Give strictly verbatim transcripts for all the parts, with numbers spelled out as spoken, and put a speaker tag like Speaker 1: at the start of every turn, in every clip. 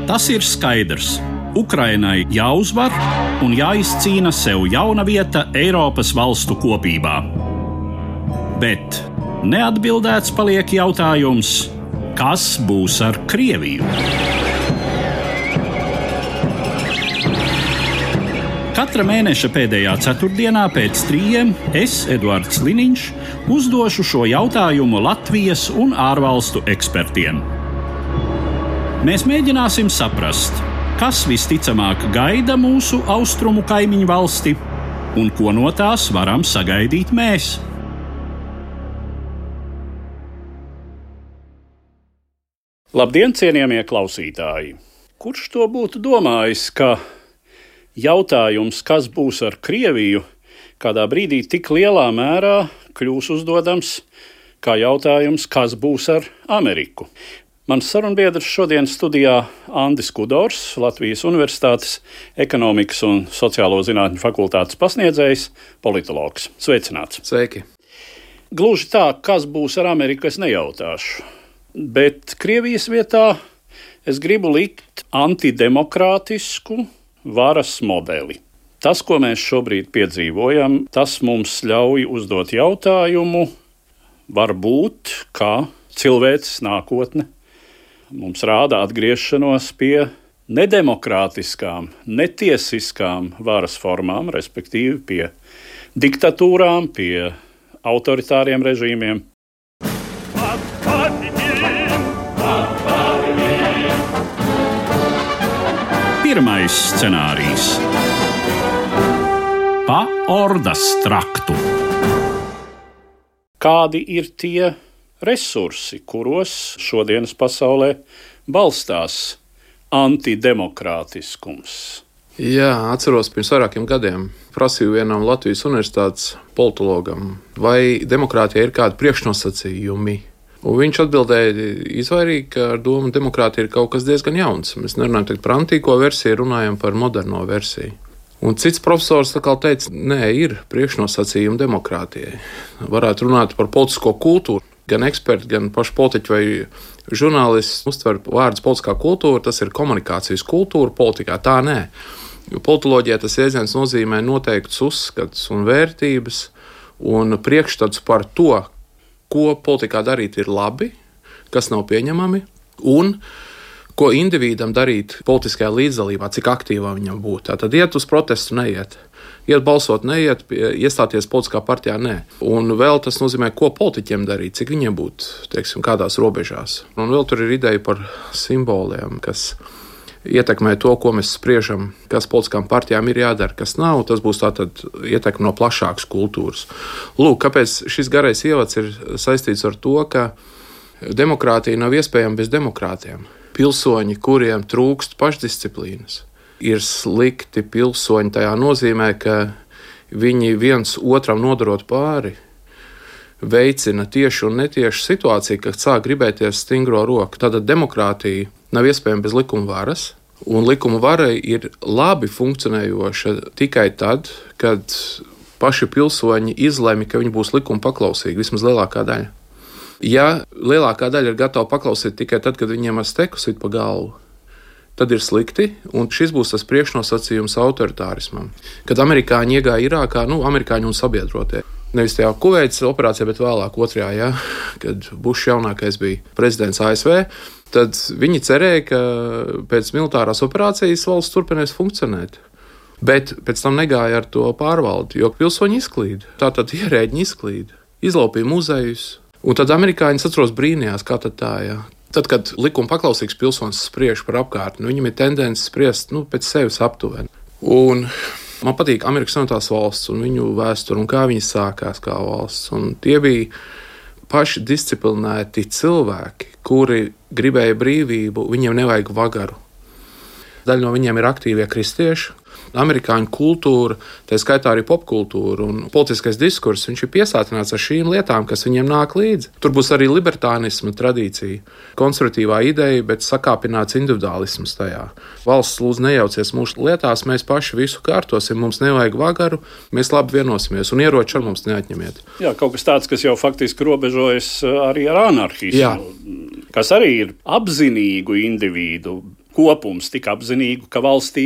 Speaker 1: Tas ir skaidrs. Ukrainai jāuzvar un jāizcīna sev jauna vieta Eiropas valstu kopībā. Bet neatbildēts paliek jautājums, kas būs ar Krieviju? Katra mēneša pēdējā ceturtdienā pēc trījiem es, Eduards Liniņš, uzdošu šo jautājumu Latvijas un ārvalstu ekspertiem. Mēs mēģināsim saprast, kas visticamāk gaida mūsu austrumu kaimiņu valsti un ko no tās varam sagaidīt mēs. Labdien, cienījamie klausītāji! Kurš to būtu domājis, ka jautājums, kas būs ar Krieviju, kādā brīdī tik lielā mērā kļūs uzdodams kā jautājums, kas būs ar Ameriku? Mans sarunbiedrs šodien studijā Andis Kudors, Latvijas Universitātes ekonomikas un sociālo zinātņu fakultātes pasniedzējs, politologs. Sveicināts!
Speaker 2: Sveiki!
Speaker 1: Gluži tā, kas būs ar Ameriku, es nejautāšu. Bet Krievijas vietā es gribu likt antidemokrātisku varas modeli. Tas, ko mēs šobrīd piedzīvojam, tas mums ļauj uzdot jautājumu, varbūt, kā cilvēces nākotne mums rāda atgriešanos pie nedemokrātiskām, netiesiskām varas formām, respektīvi pie diktatūrām, pie autoritāriem režīmiem. Pirmais scenārijs – pa ordas traktu. Kādi ir tie resursi, kuros šodienas pasaulē balstās antidemokrātiskums?
Speaker 2: Jā, atceros pirms vairākiem gadiem prasīju vienam Latvijas universitātes politologam, vai demokrātija ir kādi priekšnosacījumi. Un viņš atbildēja izvairīgi, ka ar domu demokrātija ir kaut kas diezgan jauns. Mēs nerunājam tagad par antīko versiju, runājam par moderno versiju. Un cits profesors tā kā teica, nē, ir priekšnosacījumi demokrātijai. Varētu runāt par politisko kultūru. Gan eksperti, gan paši politiķi vai žurnālisti uztver vārdus politiskā kultūra, tas ir komunikācijas kultūra politikā. Tā nē. Jo politoloģijā tas jēdziens nozīmē noteikts uzskats un vērtības un priekšstats par to, ko politikā darīt ir labi, kas nav pieņemami, un ko individam darīt politiskajā līdzdalībā, cik aktīvā viņam būt. Tātad iet uz protestu, neiet. Iet balsot, neiet, iestāties politiskā partijā, nē. Un vēl tas nozīmē, ko politiķiem darīt, cik viņiem būt, teiksim, kādās robežās. Un vēl tur ir ideja par simboliem, kas ietekmē to, ko mēs spriežam, kas politiskām partijām ir jādara, kas nav. Tas būs tātad ietekme no plašākas kultūras. Lūk, kāpēc šis garais ievads ir saistīts ar to, ka demokrātija nav iespējama bez demokrātiem. Pilsoņi, kuriem trūkst pašdisciplīnas, ir slikti pilsoņi tajā nozīmē, ka viņi viens otram nodarot pāri, veicina tieši un netieši situāciju, kad sāk gribēties stingro roku. Tātad demokrātija nav iespējama bez likuma varas, un likuma vara ir labi funkcionējoša tikai tad, kad paši pilsoņi izlemj, ka viņi būs likuma paklausīgi, vismaz lielākā daļa. Ja lielākā daļa ir gatava paklausīt tikai tad, kad viņiem ar steku sit pa galvu, tad ir slikti, un šis būs tas priekšnosacījums autoritārismam. Kad amerikāņi iegāja Irākā, nu, amerikāņi un sabiedrotie, nevis tajā Kuveitas operācijā, bet vēlāk otrajā, ja, kad Bušs jaunākais bija prezidents A S V, tad viņi cerēja, ka pēc militārās operācijas valsts turpinās funkcionēt. Bet pēc tam negāja ar to pārvaldi, jo pilsoņi izklīd, tātad ierēģi izklīd, izlaupīja muzejus, un tad amerikāņi atceros brīnījās, kā tad tā, ja. Tad, kad likuma paklausīgs pilsonis spriež par apkārtni, viņam ir tendence spriest nu, pēc sevis aptuveni. Un man patīk Amerikas Savienotās valsts un viņu vēsture un kā viņi sākās kā valsts. Un tie bija paši disciplinēti cilvēki, kuri gribēja brīvību, viņiem nevajag vagaru. Daļa no viņiem ir aktīvie kristieši. Amerikāņu kultūra, tā skaitā arī popkultūra un politiskais diskurss, viņš ir piesātināts ar šīm lietām, kas viņiem nāk līdzi. Tur būs arī libertānisma tradīcija, konservatīvā ideja, bet sakāpināts individuālisms tajā. Valsts lūdzu nejaucies mūsu lietās, mēs paši visu kārtosim, mums nevajag vagaru, mēs labi vienosimies un ieroči ar mums neatņemiet.
Speaker 1: Jā, kaut kas tāds, kas jau faktiski robežojas arī ar anarhismu,
Speaker 2: Jā.
Speaker 1: Kas arī ir apzinīgu individu kopums tik apzinīgu, ka valstī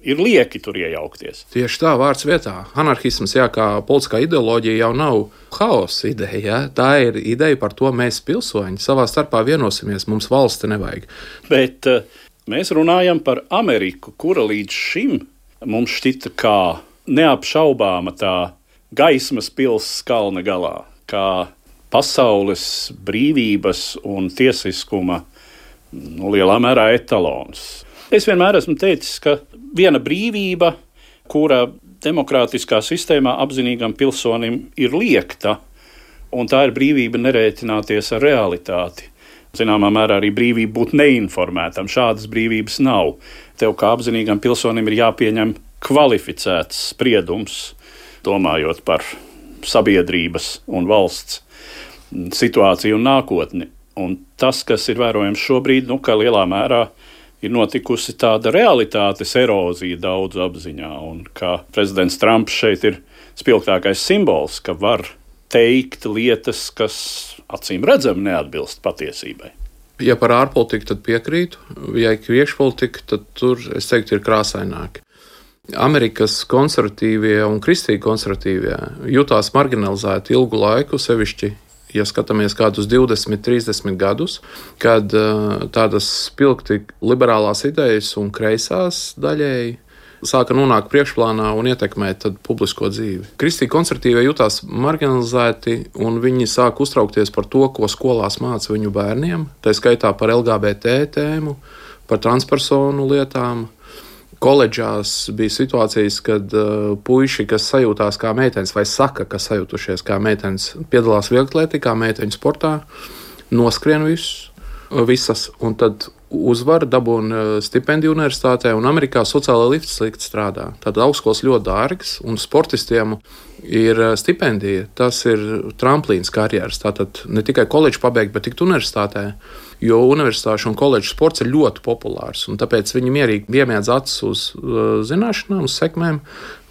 Speaker 1: ir lieki tur iejaukties.
Speaker 2: Tieši tā, vārds vietā. Anarhisms, jā, kā politiskā ideoloģija, jau nav haosa ideja. Jā. Tā ir ideja par to, mēs pilsoņi savā starpā vienosimies, mums valsti nevajag.
Speaker 1: Bet uh, mēs runājam par Ameriku, kura līdz šim mums šķita kā neapšaubāma tā gaismas pils kalna galā, kā pasaules brīvības un tiesiskuma nu, lielā mērā etalons. Es vienmēr esmu teicis, ka viena brīvība, kura demokrātiskā sistēmā apzinīgam pilsonim ir liekta, un tā ir brīvība nerēķināties ar realitāti. Zināmā mērā arī brīvība būt neinformētam. Šādas brīvības nav. Tev kā apzinīgam pilsonim ir jāpieņem kvalificēts spriedums, domājot par sabiedrības un valsts situāciju un nākotni. Un tas, kas ir vērojams šobrīd, nu, ka lielā mērā ir notikusi tāda realitātes erozija daudzu apziņā, un ka prezidents Trumps šeit ir spilgtākais simbols, ka var teikt lietas, kas acīm redzami neatbilst patiesībai.
Speaker 2: Ja par ārpolitiku, tad piekrītu. Ja ir iekšpolitika, tad tur, es teiktu, ir krāsaināki. Amerikas konservatīvie un kristīgi konservatīvie jutās marginalizēti ilgu laiku, sevišķi ja skatāmies kādus divdesmit, trīsdesmit gadus, kad uh, tādas spilgti liberālās idejas un kreisās daļēji sāka nonākt priekšplānā un ietekmēt publisko dzīvi. Kristīgi konservatīvie jutās marginalizēti, un viņi sāka uztraukties par to, ko skolās māca viņu bērniem, tā skaitā par L G B T tēmu, par transpersonu lietām. Koledžās bija situācijas, kad uh, puiši, kas sajūtās kā meitenes, vai saka, ka sajūtušies kā meitenes, piedalās vieglatlētikā, meiteņu sportā, noskrien visus, visas, un tad uzvar, dabūna stipendiju universitātē, un Amerikā sociālā lifts slikti strādā. Tad augstskolas ļoti dārgas, un sportistiem ir stipendija. Tas ir tramplīns karjeras. Tātad ne tikai koledžu pabeigt, bet tikt universitātē, jo universitāšu un koledžu sports ir ļoti populārs, un tāpēc viņi mierīgi iemiedz acis uz uh, zināšanām, uz sekmēm,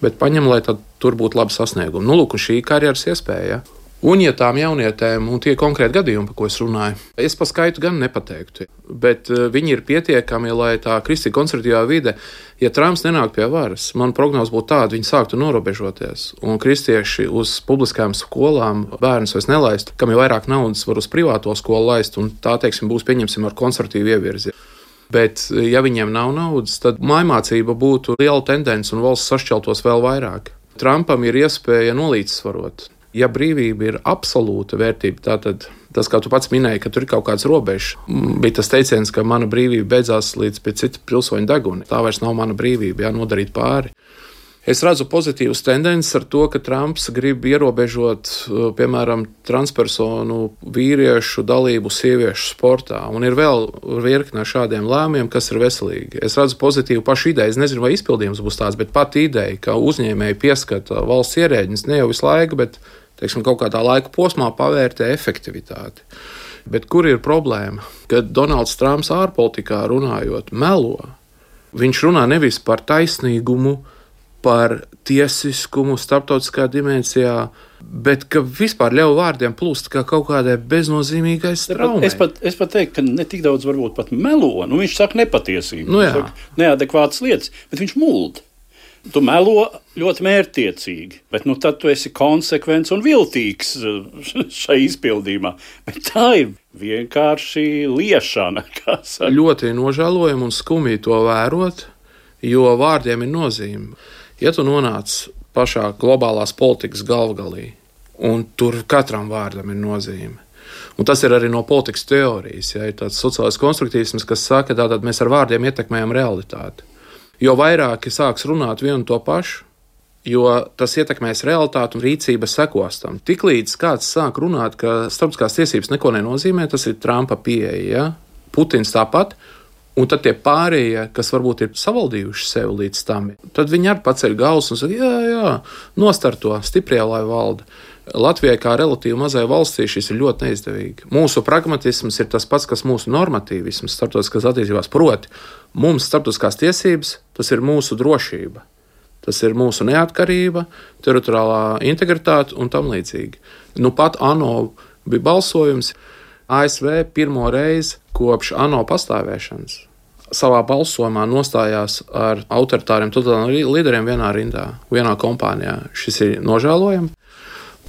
Speaker 2: bet paņem, lai tad tur būtu labi sasniegumi. Nu, lūk, šī karjeras iespēja. Un, ja tām jaunietēm, un tie konkrēti gadījumi, par ko es runāju, es pa skaitu gan nepateiktu, bet viņi ir pietiekami, lai tā kristīgi konservatīvā vide, ja Trumps nenāk pie varas, man prognoze būtu tāda, viņi sāktu norobežoties, un kristieši uz publiskām skolām bērnus vairs nelaistu, kam jau vairāk naudas var uz privāto skolu laist, un tā, teiksim, būs, pieņemsim, ar konservatīvu ievirzi. Bet, ja viņiem nav naudas, tad mājmācība būtu liela tendence, un valsts sašķeltos vēl vairāk. Trumpam ir iespēja nolīdzsvarot. Ja brīvība ir absolūta vērtība, tātad tas, kā tu pats minēji, ka tur ir kaut kāds robežs, bija tas teiciens, ka mana brīvība beidzās līdz pie cita pilsoņa deguna. Tā vairs nav mana brīvība, jā, nodarīt pāri. Es redzu pozitīvas tendences ar to, ka Trumps grib ierobežot, piemēram, transpersonu vīriešu dalību sieviešu sportā, un ir vēl virkne šādiem lēmumiem, kas ir veselīgi. Es redzu pozitīvu pašu ideju, es nezinu, vai izpildījums būs tāds, bet pat ideja, ka uzņēmēji pieskata valsts ierēģiņus ne jau visu laiku, bet teiksim, kaut kādā laika posmā pavērtē efektivitāti. Bet kur ir problēma? Kad Donalds Trumps ārpolitikā runājot melo, viņš runā nevis par taisnīgumu, par tiesiskumu starptautiskā dimensijā, bet ka vispār ļauj vārdiem plūst kā kaut kādai beznozīmīgai straumei.
Speaker 1: Es pat, es pat teiktu, ka ne tik daudz varbūt pat melo, nu viņš saka nepatiesību,
Speaker 2: nu,
Speaker 1: viņš saka neadekvātas lietas, bet viņš mulda. Tu melo ļoti mērķtiecīgi, bet nu tad tu esi konsekvents un viltīgs šai izpildījumā. Bet tā ir vienkārši liešana, kā saka.
Speaker 2: Ļoti nožēlojami un skumji to vērot, jo vārdiem ir nozīme. Ja tu nonāc pašā globālās politikas galvgalī, un tur katram vārdam ir nozīme, un tas ir arī no politikas teorijas, ja ir tāds sociālais konstruktīvisms, kas saka, tātad mēs ar vārdiem ietekmējam realitāti. Jo vairāki sāks runāt vienu to pašu, jo tas ietekmēs realitāti un rīcība sekos tam. Tiklīdz kāds sāk runāt, ka starptautiskās tiesības neko nenozīmē, tas ir Trumpa pieeja, ja? Putins tāpat, un tad tie pārējie, kas varbūt ir savaldījuši sevi līdz tam, tad viņi arī paceļ galvas un saka, jā, jā, nostarto, stiprie, lai valda. Latvijai kā relatīvi mazai valstī šis ir ļoti neizdevīgi. Mūsu pragmatisms ir tas pats, kas mūsu normatīvisms starptautiskās attiecībās. Proti, mums starptautiskās tiesības, tas ir mūsu drošība. Tas ir mūsu neatkarība, teritoriālā integritāte un tam līdzīgi. Nu pat ANO bija balsojums A S V pirmo reizi kopš ANO pastāvēšanas. savā balsojumā nostājās ar autoritāriem totalitāriem līderiem vienā rindā, vienā kompānijā. Šis ir nožēlojami.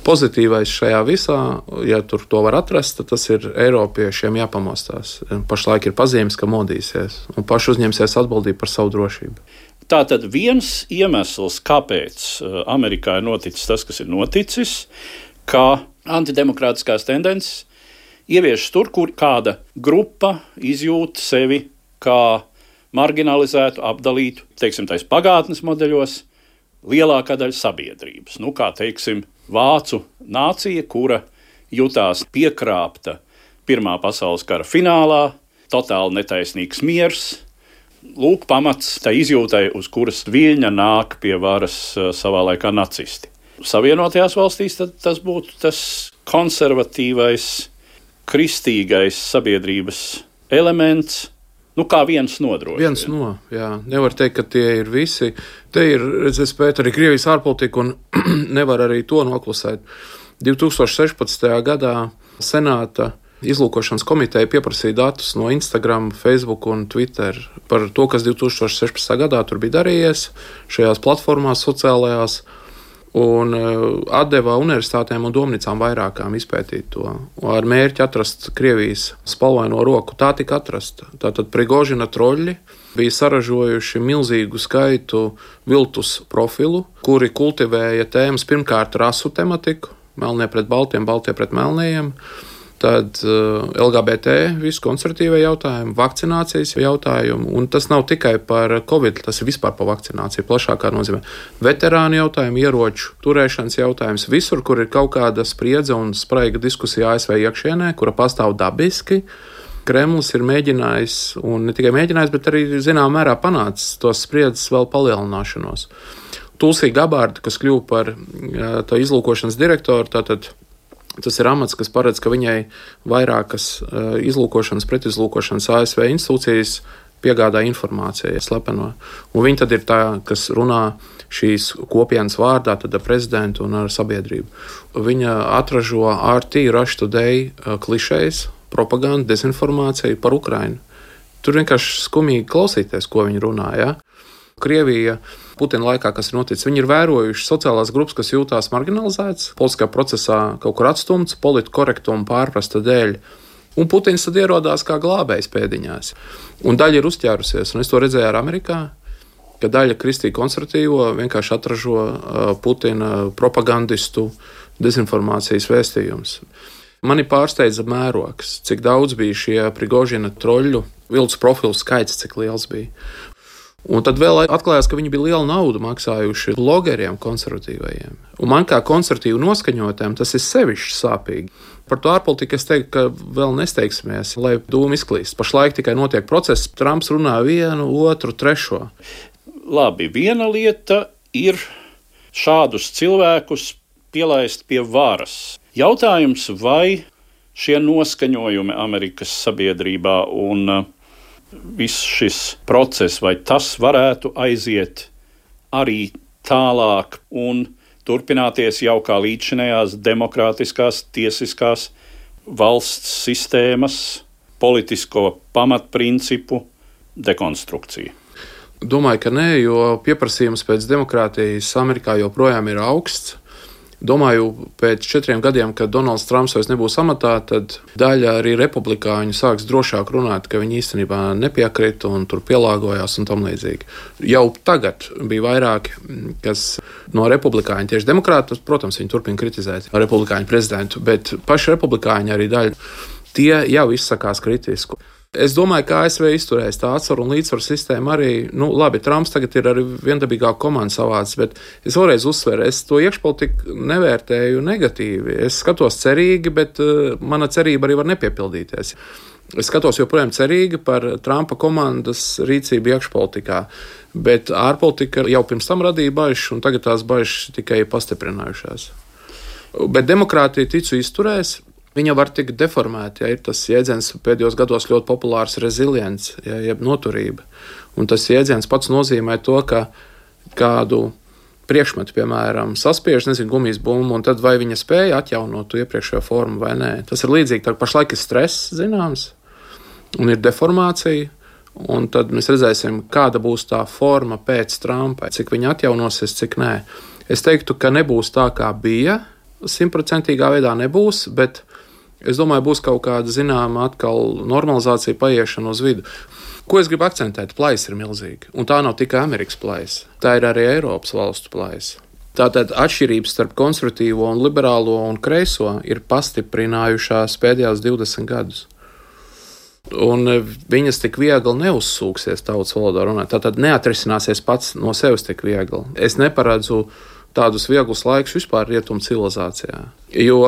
Speaker 2: Pozitīvais šajā visā, ja tur to var atrast, tad tas ir Eiropiešiem jāpamostās. Pašlaik ir pazīmes, ka modīsies un paši uzņemsies atbildību par savu drošību.
Speaker 1: Tātad viens iemesls, kāpēc Amerikā ir noticis tas, kas ir noticis, ka antidemokrātiskās tendences ievieš tur, kur kāda grupa izjūt sevi kā marginalizētu, apdalītu, teiksim, tais pagātnes modeļos, lielākā daļa sabiedrības. Nu, kā, teiksim, vācu nācija, kura jutās piekrāpta Pirmā pasaules kara finālā, totāli netaisnīgs miers. Lūk, pamats tai izjūtai, uz kuras viļņa nāk pie varas savā laikā nacisti. Savienotajās valstīs tas būtu tas konservatīvais, kristīgais sabiedrības elements, nu kā viens nodrošina.
Speaker 2: Viens no, jā. Nevar teikt, ka tie ir visi. Te ir, es pētu arī Krievijas ārpolitika un nevar arī to noklusēt. divi tūkstoši sešpadsmitajā gadā Senāta izlūkošanas komiteja pieprasīja datus no Instagram, Facebook un Twitter par to, kas divi tūkstoši sešpadsmitajā gadā tur bija darījies šajās platformās sociālajās, un atdeva universitātēm un domnīcām vairākām izpētīt to, ar mērķi atrast Krievijas spalvaino roku. Tā tika atrasta. Tātad Prigožina troļļi bija saražojuši milzīgu skaitu viltus profilu, kuri kultivēja tēmas pirmkārt rasu tematiku, melnie pret baltiem, baltie pret melnējiem, tad L G B T, visu konservatīvie jautājumi, vakcinācijas jautājumi, un tas nav tikai par Covid, tas ir vispār par vakcināciju, plašākā nozīmē. Veterānu jautājumi, ieroču turēšanas jautājums, visur, kur ir kaut kāda spriedze un spraiga diskusija A S V iekšienē, kura pastāv dabiski, Kremlis ir mēģinājis, un ne tikai mēģinājis, bet arī zināmā mērā panācis tos spriedzes vēl palielināšanos. Tulsī Gabārda, kas kļuva par tā izlūkošanas direktoru, tātad tas ir amats, kas paredz, ka viņai vairākas izlūkošanas, pretizlūkošanas A S V institūcijas piegādā informāciju slepeno. Un viņa tad ir tā, kas runā šīs kopienas vārdā, tad ar prezidentu un ar sabiedrību. Viņa atražo R T, Russia Today klišejas, propagandu, dezinformāciju par Ukrainu. Tur vienkārši skumīgi klausīties, ko viņi runā, ja? Krievija Putina laikā, kas ir noticis, viņi ir vērojuši sociālās grupas, kas jūtās marginalizētas, politiskā procesā kaut kur atstumts, politkorektuma pārprasta dēļ. Un Putins tad ierodās kā glābējs pēdiņās. Un daļa ir uzķērusies, un es to redzēju ar Amerikā, ka daļa kristīgi konservatīvo vienkārši atražo Putina propagandistu dezinformācijas vēstījums. Mani pārsteidza mērogs, cik daudz bija šie Prigožina troļļu, viltus profilu skaits, cik liels bija. Un tad vēl atklājās, ka viņi bija lielu naudu maksājuši blogeriem konservatīvajiem. Un man kā konservatīvu noskaņotēm tas ir sevišķi sāpīgi. Par to ārpolitiku es teiktu, ka vēl nesteigsimies, lai dūmi izklīst. Pašlaik tikai notiek process, Trumps runā vienu, otru, trešo.
Speaker 1: Labi, viena lieta ir šādus cilvēkus pielaist pie varas. Jautājums, vai šie noskaņojumi Amerikas sabiedrībā un viss šis process, vai tas varētu aiziet arī tālāk un turpināties jau kā līdzinējās demokrātiskās, tiesiskās valsts sistēmas, politisko pamatprincipu dekonstrukcija?
Speaker 2: Domāju, ka nē, jo pieprasījums pēc demokrātijas Amerikā joprojām ir augsts. Domāju, pēc četriem gadiem, kad Donalds Trumps vairs nebūs amatā, tad daļa arī republikāņu sāks drošāk runāt, ka viņi īstenībā nepiekrita un tur pielāgojās un tam līdzīgi. Jau tagad bija vairāki, kas no republikāņu, tieši demokrāti, protams, viņi turpina kritizēt republikāņu prezidentu, bet paši republikāņi arī daļa, tie jau izsakās kritisku. Es domāju, ka A S V izturēs tā atsvaru un līdzsvaru sistēmu arī, nu labi, Trumps tagad ir arī viendabīgāk komanda savāds, bet es vēlreiz uzsveru, es to iekšpolitiku nevērtēju negatīvi. Es skatos cerīgi, bet uh, mana cerība arī var nepiepildīties. Es skatos joprojām cerīgi par Trumpa komandas rīcību iekšpolitikā, bet ārpolitika jau pirms tam radīja bažas, un tagad tās bažas tikai pastiprinājušās. Bet demokrātija ticu izturēs. Viņa var tikt deformēta, ja ir tas jēdziens pēdējos gados ļoti populārs rezilients, ja, jeb noturība. Un tas jēdziens pats nozīmē to, ka kādu priekšmetu, piemēram, saspiež, nezinu, gumijas bumbu, un tad vai viņa spēja atjaunot to iepriekšējo formu vai nē. Tas ir līdzīgi, tā pašlaik ir stress, zināms, un ir deformācija, Un tad mēs redzēsim, kāda būs tā forma pēc Trumpa, cik viņa atjaunosies, cik nē. Es teiktu, ka nebūs tā, kā bija, simtprocentīgā veidā nebūs, bet es domāju, būs kaut kāda zināma atkal normalizācija, paiešana uz vidu. Ko es gribu akcentēt? Plaisa ir milzīga, un tā nav tikai Amerikas plaisa, tā ir arī Eiropas valstu plaisa. Tātad atšķirības starp konservatīvo un liberālo un kreiso ir pastiprinājušās pēdējās divdesmit gadus. Un viņas tik viegli neuzsūksies tautas valodā runāt. Tātad neatrisināsies pats no sevis tik viegli. Es neparedzu tādus vieglus laikus vispār rietumu civilizācijā. Jo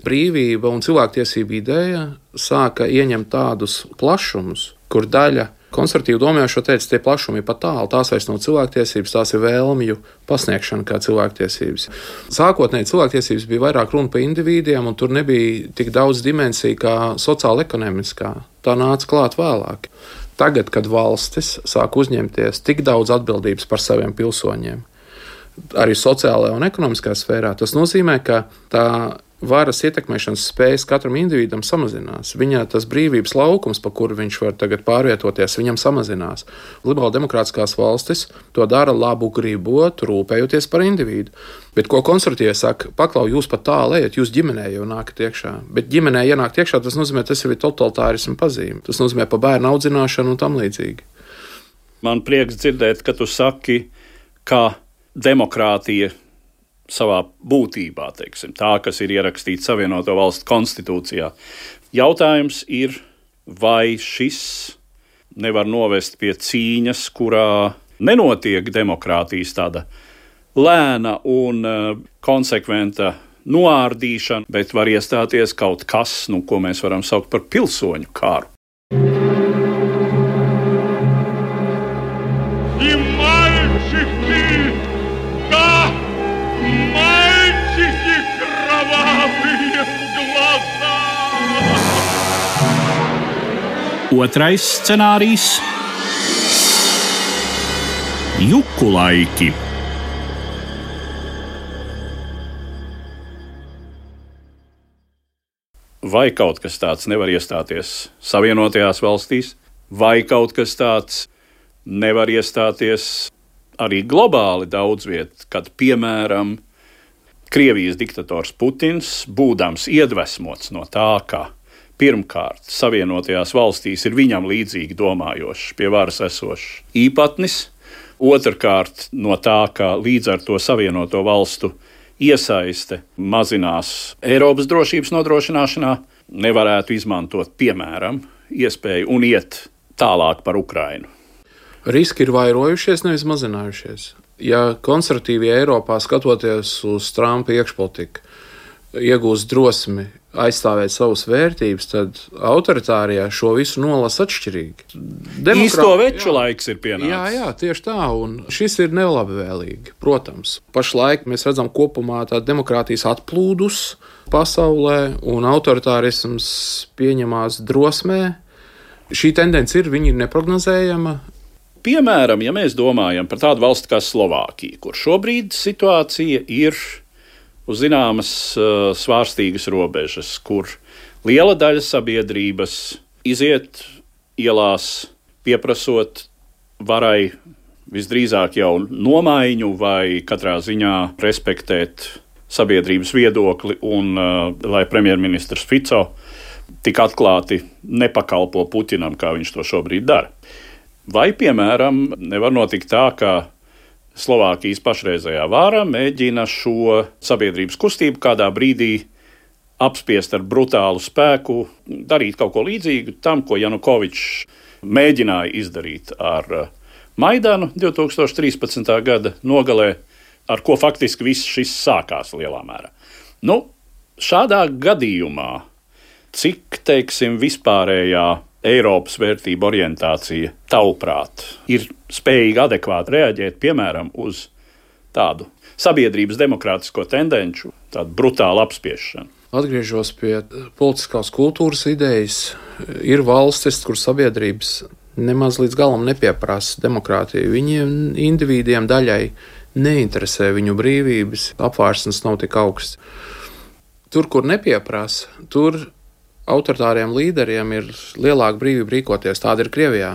Speaker 2: brīvība un cilvēktiesība ideja sāka ieņemt tādus plašumus, kur daļa konservatīvi domājošo teica, tie plašumi ir pat tālu, tās vairs nav cilvēktiesības, tās ir vēlmju pasniegšana kā cilvēktiesības. Sākotnēji cilvēktiesības bija vairāk runa par indivīdiem, un tur nebija tik daudz dimensiju kā sociāla-ekonomiskā. Tā nāca klāt vēlāk. Tagad, kad valstis sāk uzņemties tik daudz atbildības par saviem pilsoņiem, arī sociālajā un ekonomiskā sfērā, tas nozīmē, ka tā varas ietekmēšanas spējas katram individam samazinās. Viņā tas brīvības laukums, pa kuru viņš var tagad pārvietoties, viņam samazinās. Liberāli demokrātiskās valstis to dara labu gribot, rūpējoties par individu. Bet ko konservatīvie saka, paklau, jūs pat tālu ejat, jūs ģimenē jau nākat iekšā. Bet ģimenē ienākt iekšā, tas nozīmē, tas jau ir totalitārisma pazīme. Tas nozīmē pa bērnu audzināšanu un tam līdzīgi.
Speaker 1: Man prieks dzirdēt, ka tu saki, ka demokrātija savā būtībā, teiksim, tā, kas ir ierakstīta Savienoto Valstu konstitūcijā. Jautājums ir, vai šis nevar novest pie cīņas, kurā nenotiek demokrātijas tāda lēna un uh, konsekventa noārdīšana, bet var iestāties kaut kas, nu, ko mēs varam saukt par pilsoņu kāru.
Speaker 3: Otrais scenārijs – juku laiki.
Speaker 1: Vai kaut kas tāds nevar iestāties Savienotajās valstīs, vai kaut kas tāds nevar iestāties arī globāli daudz viet, kad, piemēram, Krievijas diktators Putins, būdams iedvesmots no tā, ka pirmkārt, Savienotajās valstīs ir viņam līdzīgi domājošs, pie varas esošs īpatnis. Otrkārt, no tā, ka līdz ar to Savienoto valstu iesaiste mazinās Eiropas drošības nodrošināšanā, nevarētu izmantot, piemēram, iespēju un iet tālāk par Ukrainu.
Speaker 2: Riski ir vairojušies, nevis mazinājušies. Ja konservatīvie Eiropā, skatoties uz Trumpa iekšpolitiku, iegūst drosmi aizstāvēt savas vērtības, tad autoritārijā šo visu nolasa atšķirīgi.
Speaker 1: Demokrā... Īsto veču jā. Laiks ir pienācis.
Speaker 2: Jā, jā, tieši tā, un šis ir nelabvēlīgi, protams. Pašlaik mēs redzam kopumā tā demokrātijas atplūdus pasaulē, un autoritārisms pieņemās drosmē. Šī tendence ir, viņa ir neprognozējama.
Speaker 1: Piemēram, ja mēs domājam par tādu valsti kā Slovākija, kur šobrīd situācija ir uz zināmas uh, svārstīgas robežas, kur liela daļa sabiedrības iziet ielās, pieprasot varai visdrīzāk jau nomaiņu vai katrā ziņā respektēt sabiedrības viedokli un uh, lai premjerministrs Fico tik atklāti nepakalpo Putinam, kā viņš to šobrīd dara. Vai, piemēram, nevar notikt tā, ka Slovākijas pašreizējā vāra mēģina šo sabiedrības kustību kādā brīdī apspiest ar brutālu spēku, darīt kaut ko līdzīgu tam, ko Janukovičs mēģināja izdarīt ar Maidanu divi tūkstoši trīspadsmitā gada nogalē, ar ko faktiski viss šis sākās lielā mērā. Nu, šādā gadījumā, cik, teiksim, vispārējā Eiropas vērtība orientācija, tavuprāt, ir spējīga adekvāti reaģēt, piemēram, uz tādu sabiedrības demokrātisko tendenču, tādu brutālu apspiešanu?
Speaker 2: Atgriežos pie politiskās kultūras idejas. Ir valstis, kur sabiedrības nemaz līdz galam nepieprasa demokrātiju. Viņiem, individiem daļai, neinteresē viņu brīvības, apvārsnes nav tik augsts. Tur, kur nepieprasa, tur autoritāriem līderiem ir lielāka brīvība rīkoties. Tāda ir Krievijā.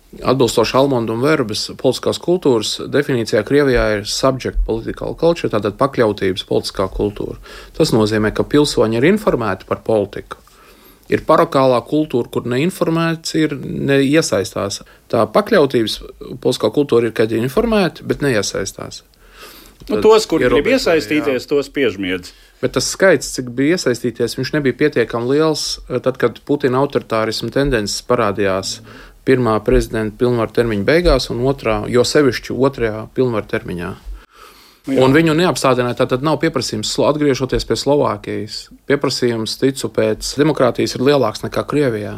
Speaker 2: Atbilstoši Almonda un Verbas politiskās kultūras definīcijā Krievijā ir subject political culture, tātad pakļautības politiskā kultūra. Tas nozīmē, ka pilsoņi ir informēti par politiku. Ir parakālā kultūra, kur neinformēts ir, neiesaistās. Tā pakļautības politiskā kultūra ir, kad ir informēti, bet neiesaistās.
Speaker 1: Nu, tos, kur grib iesaistīties, jā. Tos piežmiedz.
Speaker 2: Bet tas skaits, cik bija iesaistīties, viņš nebija pietiekami liels, tad, kad Putina autoritārisma tendences parādījās pirmā prezidenta pilnvaru termiņa beigās un otrā, jo sevišķi otrajā pilnvaru termiņā. Jā. Un viņu neapstādināja, tātad nav pieprasījums, atgriežoties pie Slovākijas. Pieprasījums, ticu, pēc demokrātijas ir lielāks nekā Krievijā.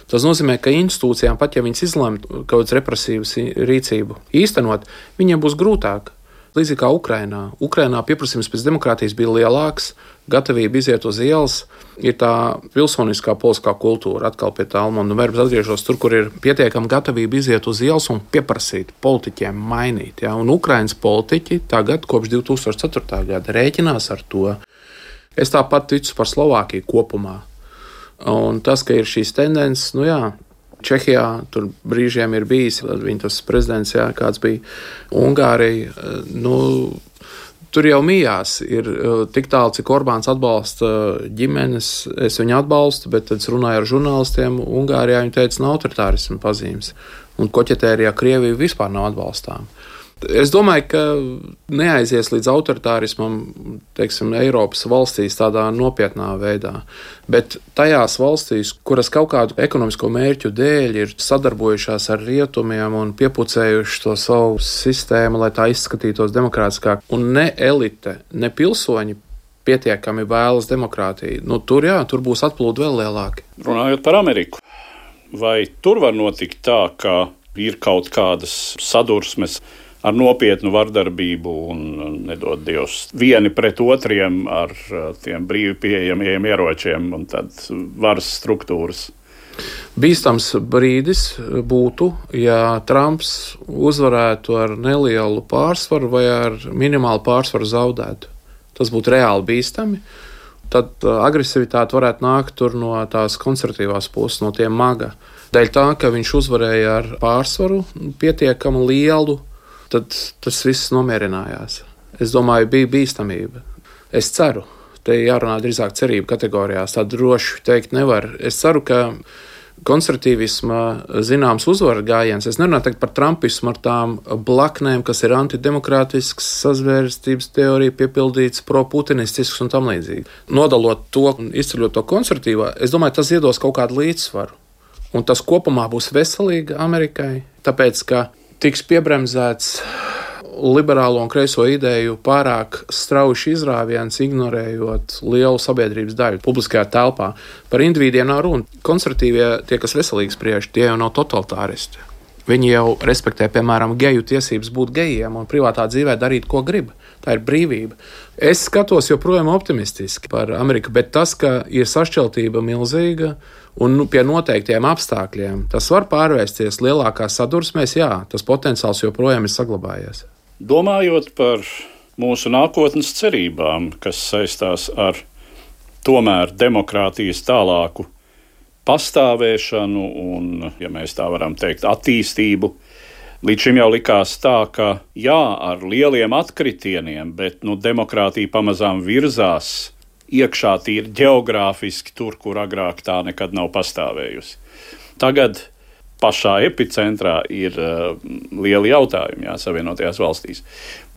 Speaker 2: Tas nozīmē, ka institūcijām, pat ja viņas izlemj kaut kādas represīvas rīcību īstenot, viņiem būs grūtāk. Līdzīgi kā Ukrainā. Ukrainā pieprasījums pēc demokrātijas bija lielāks, gatavība iziet uz ielas, ir tā pilsoniskā politiskā kultūra. Atkal pie tā Almonda un Verbas atgriežos tur, kur ir pietiekama gatavība iziet uz ielas un pieprasīt politiķiem mainīt. Ja? Un Ukrainas politiķi tagad, kopš divi tūkstoši ceturtā gada, rēķinās ar to. Es tāpat ticu par Slovākiju kopumā. Un tas, ka ir šīs tendences, nu jā, Čehijā tur brīžiem ir bijis, viņa tas prezidents, jā, kāds bija Ungārija, nu, tur jau mījās ir tik tālu, cik Orbāns atbalsta ģimenes, es viņu atbalstu, bet tad es runāju ar žurnālistiem, Ungārijā viņi teica, nav autoritārisma pazīmes, un koķetērijā Krievija vispār nav atbalstām. Es domāju, ka neaizies līdz autoritārismam, teiksim, Eiropas valstīs tādā nopietnā veidā, bet tajās valstīs, kuras kaut kādu ekonomisko mērķu dēļ ir sadarbojušās ar rietumiem un piepucējuši to savu sistēmu, lai tā izskatītos demokrātiskāk, un ne elite, ne pilsoņi pietiekami vēlas demokrātiju, nu tur jā, tur būs atplūdi vēl lielāki.
Speaker 1: Runājot par Ameriku, vai tur var notikt tā, ka ir kaut kādas sadursmes ar nopietnu vardarbību un, nedod Dievs, vieni pret otriem ar tiem brīvi pieejamiem ieročiem un tad varas struktūras?
Speaker 2: Bīstams brīdis būtu, ja Trumps uzvarētu ar nelielu pārsvaru vai ar minimālu pārsvaru zaudētu. Tas būtu reāli bīstami. Tad agresivitāte varētu nākt tur no tās konservatīvās puses, no tiem maga. Dēļ tā, ka viņš uzvarēja ar pārsvaru pietiekami lielu, tad tas viss nomierinājās. Es domāju, bija bīstamība. Es ceru, te jārunā drīzāk cerību kategorijās, tā droši teikt nevar. Es ceru, ka konservatīvisma zināms uzvara gājiens, es nerunāju tagad par trumpismu ar tām blaknēm, kas ir antidemokrātisks, sazvērstības teorija piepildīts, pro-putinistisks un tam līdzīgi. Nodalot to un izceļot to konservatīvā, es domāju, tas iedos kaut kādu līdzsvaru. Un tas kopumā būs veselīgi Amerikai, tāpēc, ka tiks piebremzēts liberālo un kreiso ideju pārāk strauji izrāviens, ignorējot lielu sabiedrības daļu publiskajā telpā. Par individiem nav runa. Konservatīvie, tie, kas veselīgi spriež, tie jau nav totalitāristi. Viņi jau respektē, piemēram, geju tiesības būt gejiem un privātā dzīvē darīt, ko grib. Tā ir brīvība. Es skatos joprojām optimistiski par Ameriku, bet tas, ka ir sašķeltība milzīga, un nu, pie noteiktiem apstākļiem tas var pārvērsties lielākā sadursmēs, jā, tas potenciāls joprojām ir saglabājies.
Speaker 1: Domājot par mūsu nākotnes cerībām, kas saistās ar tomēr demokrātijas tālāku pastāvēšanu un, ja mēs tā varam teikt, attīstību, līdz šim jau likās tā, ka jā, ar lieliem atkritieniem, bet nu, demokrātija pamazām virzās iekšā tīri ģeogrāfiski tur, kur agrāk tā nekad nav pastāvējusi. Tagad pašā epicentrā ir uh, lieli jautājumi, jā, Savienotajās valstīs.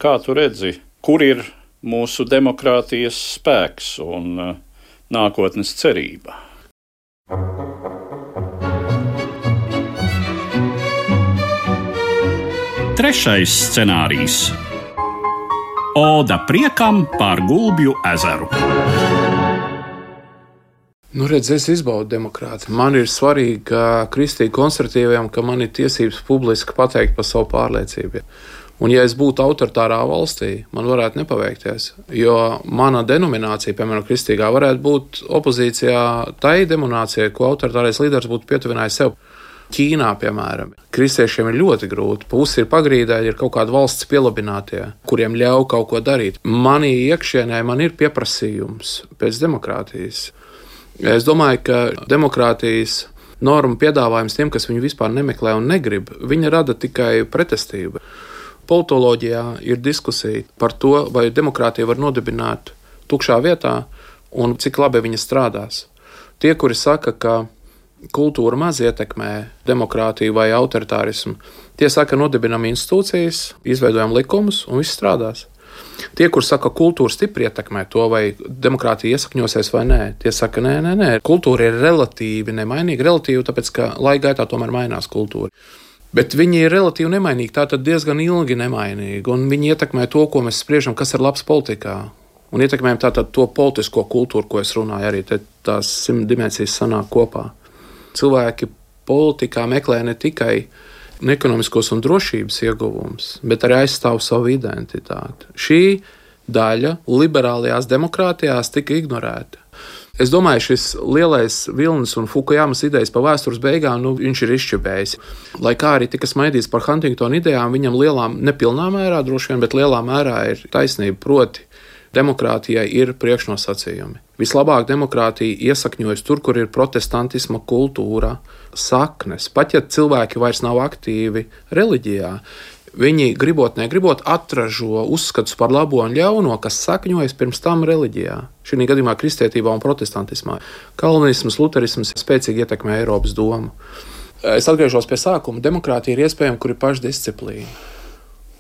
Speaker 1: Kā tu redzi, kur ir mūsu demokrātijas spēks un uh, nākotnes cerība?
Speaker 3: Trešais scenārijs. Oda priekam pār Gulbju ezeru.
Speaker 2: Nu, redz, es izbaudu demokrātiju. Man ir svarīgi, ka kristīgi konservatīviem, ka man ir tiesības publiski pateikt par savu pārliecību. Un ja es būtu autoritārā valstī, man varētu nepaveikties, jo mana denominācija, piemēram, kristīgā, varētu būt opozīcijā tai denominācijai, ko autoritārais līderis būtu pietuvinājis sev. Ķīnā, piemēram, kristiešiem ir ļoti grūti. Pusi ir pagrīdē, ir kaut kādi valsts pielabinātie, kuriem ļauj kaut ko darīt. Manī iekšienē man ir pieprasījums pēc demokrātijas. Es domāju, ka demokrātijas normu piedāvājums tiem, kas viņu vispār nemeklē un negrib, viņa rada tikai pretestību. Politoloģijā ir diskusija par to, vai demokrātija var nodibināt tukšā vietā un cik labi viņa strādās. Tie, kuri saka, ka kultūra maz ietekmē demokrātiju vai autoritārismu, tie saka, nodibinam institūcijas, izveidojam likumus un viss strādās. Tie, kur saka, ka kultūra stipri ietekmē to, vai demokrātija iesakņosies vai nē, tie saka, nē, nē, nē. Kultūra ir relatīvi nemainīga, relatīvi, tāpēc, ka laika gaitā tomēr mainās kultūra. Bet viņi ir relatīvi nemainīgi, tātad diezgan ilgi nemainīgi, un viņi ietekmē to, ko mēs spriežam, kas ir labs politikā. Un ietekmējam tātad to politisko kultūru, ko es runāju, arī te tās simt dimensijas sanāk kopā. Cilvēki politikā meklē ne tikai ekonomiskos un drošības ieguvumus, bet arī aizstāv savu identitāti. Šī daļa liberālajās demokrātijās tika ignorēta. Es domāju, šis lielais vilnis un Fukujamas idejas pa vēstures beigām, nu, viņš ir izšķibējis. Lai kā arī tika smaidīts par Huntingtona idejām, viņam lielā, nepilnā mērā droši vien, bet lielā mērā ir taisnība, proti demokrātijai ir priekšnosacījumi. Vislabāk demokrātija iesakņojas tur, kur ir protestantisma kultūra, saknes. Pat ja cilvēki vairs nav aktīvi reliģijā, viņi gribot, negribot atražo uzskatus par labo un ļauno, kas sakņojas pirms tam reliģijā. Šī gadījumā kristietībā un protestantismā. Kalvinisms, luterisms spēcīgi ietekmē Eiropas domu. Es atgriežos pie sākuma. Demokrātija ir iespējama, kur ir pašdisciplīna.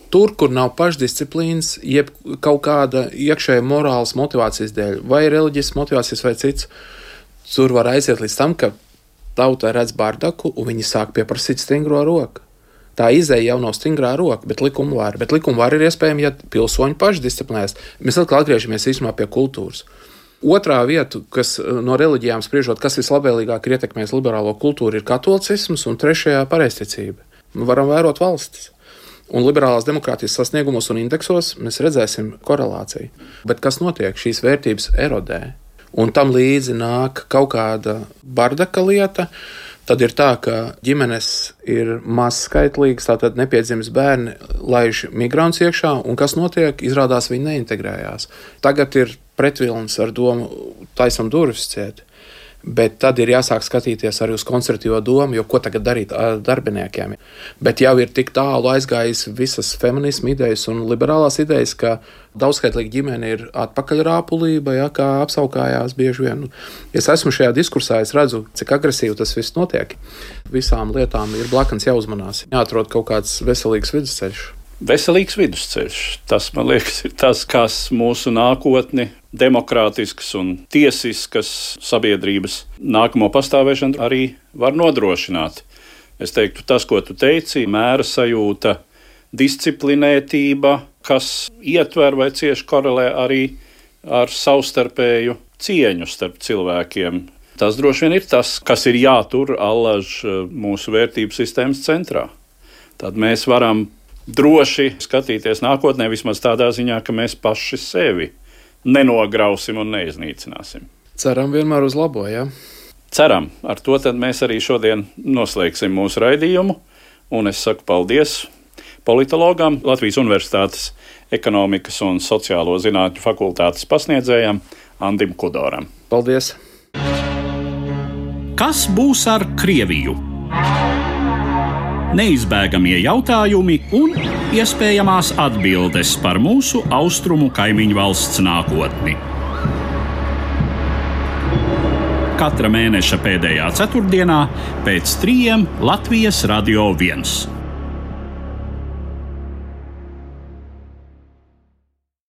Speaker 2: Tur, kur nav pašdisciplīnas, jeb kaut kāda iekšēja morālas motivācijas dēļ, vai reliģiskas motivācijas vai cits, tur var aiziet līdz tam, ka tauta redz bardaku un viņi sāk pieprasīt stingro roku. Tā izēja jau nav stingrā roka, bet likuma vara. Bet likuma vara ir iespējama, ja pilsoņi paši disciplinējas. Mēs atkal atgriežamies īstenībā pie kultūras. Otrā vieta, kas no reliģijām spriežot, kas vislabvēlīgāk ir ietekmējis liberālo kultūru, ir katolicisms, un trešajā pareizticība. Mēs varam vērot valstis. Un liberālās demokrātijas sasniegumos un indeksos mēs redzēsim korelāciju. Bet kas notiek? Šīs vērtības erodē. Un tam līdzi nāk kaut kāda bardaka lieta. Tad ir tā, ka ģimenes ir mazskaitlīgas, tātad nepiedzimis bērni laiž migrants iekšā, un kas notiek? Izrādās viņi neintegrējās. Tagad ir pretvilnis ar domu taisam durvis ciet. Bet tad ir jāsāk skatīties arī uz konservatīvo domu, jo ko tagad darīt ar darbiniekiem. Bet jau ir tik tālu aizgājis visas feminisma idejas un liberālās idejas, ka daudzskaitlīga ģimene ir atpakaļrāpulība, ja, kā apsaukājās bieži vien. Es esmu šajā diskursā, es redzu, cik agresīvi tas viss notiek. Visām lietām ir blakans jāuzmanās, jāatrod kaut kāds veselīgs vidusceļš.
Speaker 1: Veselīgs vidusceļš. Tas, man liekas, ir tas, kas mūsu nākotni, demokrātiskas un tiesiskas sabiedrības nākamo pastāvēšanu arī var nodrošināt. Es teiktu, tas, ko tu teici, mēra sajūta, disciplinētība, kas ietver vai cieši korelē arī ar savstarpēju cieņu starp cilvēkiem. Tas droši vien ir tas, kas ir jātur allaž mūsu vērtību sistēmas centrā. Tad mēs varam droši skatīties nākotnē, vismaz tādā ziņā, ka mēs paši sevi nenograusim un neiznīcināsim.
Speaker 2: Ceram vienmēr uz labo, jā?
Speaker 1: Ceram. Ar to tad mēs arī šodien noslēgsim mūsu raidījumu, un es saku paldies politologam, Latvijas Universitātes ekonomikas un sociālo zinātņu fakultātes pasniedzējam Andim Kudoram.
Speaker 2: Paldies!
Speaker 3: Kas būs ar Krieviju? Neizbēgamie jautājumi un iespējamās atbildes par mūsu austrumu kaimiņu valsts nākotni. Katra mēneša pēdējā ceturtdienā pēc trījiem Latvijas Radio viens.